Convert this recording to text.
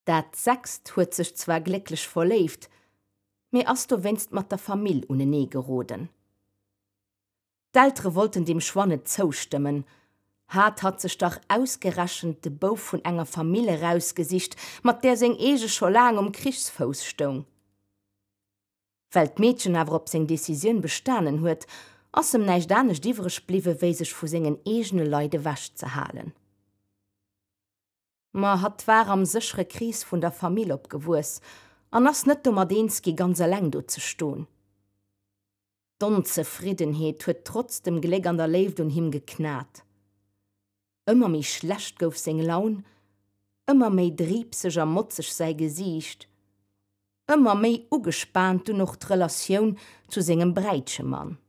Dat sechst huet sech zwar glécklech verléift, mee ass dowéinst mat der Famill unenee geroden. D'Eltere wollten deem Choix net zoustëmmen, hat hatt sech dach ausgerechent de Bouf vun enger Famill erausgesicht, mat där seng eege scho laang um Krichsfouss stoung. Well d'Meedchen awer op seng Decisioun bestanen huet, ass em näischt anescht iwwreg bliwwe wéi sech vu sengen eegene Leit ewechzehalen. Ma hatt war am séchere Krees vun der Famill opgewuess an ass net domat eens gi ganz eleng do ze stoen. D'Onzefriddenheet huet trotz dem Gléck an der Léift un him geknat. Ëmmer méi schlecht gouf seng Laun, ëmmer méi driibseg a motzeg säi Gesiicht, ëmmer méi ugespaant dunn och d'Relatioun zu sengem Bräitchemann.